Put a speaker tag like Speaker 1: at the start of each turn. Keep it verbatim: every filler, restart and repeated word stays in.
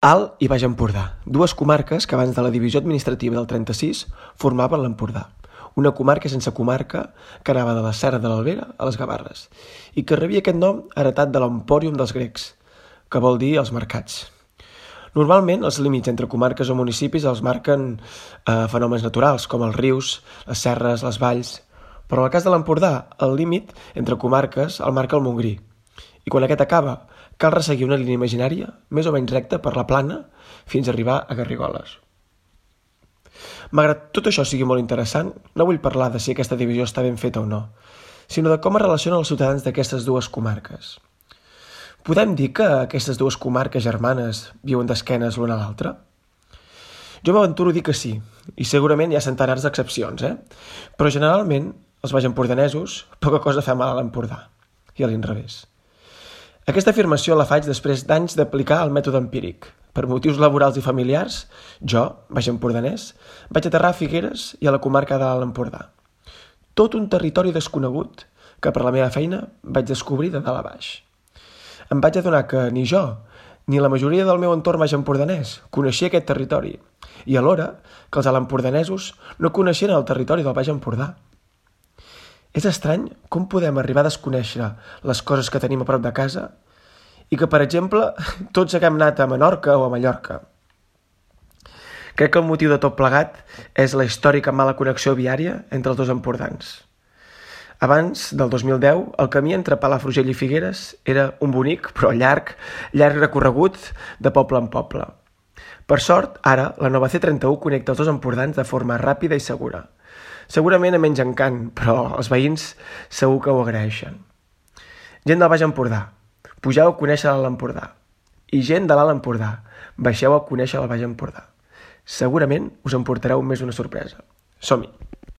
Speaker 1: Alt i Baix Empordà, dues comarques que abans de la divisió administrativa del trenta-sis formaven l'Empordà, una comarca sense comarca que anava de la Serra de l'Albera a les Gavarres i que rebia aquest nom heretat de l'Empòrium dels grecs, que vol dir els mercats. Normalment, els límits entre comarques o municipis els marquen eh, fenòmens naturals, com els rius, les serres, les valls, però en el cas de l'Empordà, el límit entre comarques el marca el Montgrí, i quan aquest acaba, cal resseguir una línia imaginària, més o menys recta per la plana, fins a arribar a Garrigoles. Malgrat tot això sigui molt interessant, no vull parlar de si aquesta divisió està ben feta o no, sinó de com es relacionen els ciutadans d'aquestes dues comarques. Podem dir que aquestes dues comarques germanes viuen d'esquenes l'una a l'altra? Jo m'aventuro a dir que sí, i segurament hi ha centenars d'excepcions, eh? Però generalment, els baixempordanesos, poca cosa fa mal a l'Empordà, i a l'inrevés. Aquesta afirmació la faig després d'anys d'aplicar el mètode empíric. Per motius laborals i familiars, jo, baixempordanès, vaig aterrar a Figueres i a la comarca de l'Alt Empordà. Tot un territori desconegut que per la meva feina vaig descobrir de dalt a baix. Em vaig adonar que ni jo, ni la majoria del meu entorn baixempordanès coneixia aquest territori i alhora que els altempordanesos no coneixien el territori del Baix Empordà. És estrany com podem arribar a desconèixer les coses que tenim a prop de casa i que, per exemple, tots haguem anat a Menorca o a Mallorca. Crec que el motiu de tot plegat és la històrica mala connexió viària entre els dos empordans. Abans del dos mil deu, el camí entre Palafrugell i Figueres era un bonic, però llarg, llarg recorregut de poble en poble. Per sort, ara, la nova C trenta-u connecta els dos empordans de forma ràpida i segura. Segurament a menys encant, però els veïns segur que ho agraeixen. Gent del Baix Empordà, pugeu a conèixer l'Alt Empordà. I gent de l'Alt Empordà, baixeu a conèixer el Baix Empordà. Segurament us emportareu més una sorpresa. Som-hi!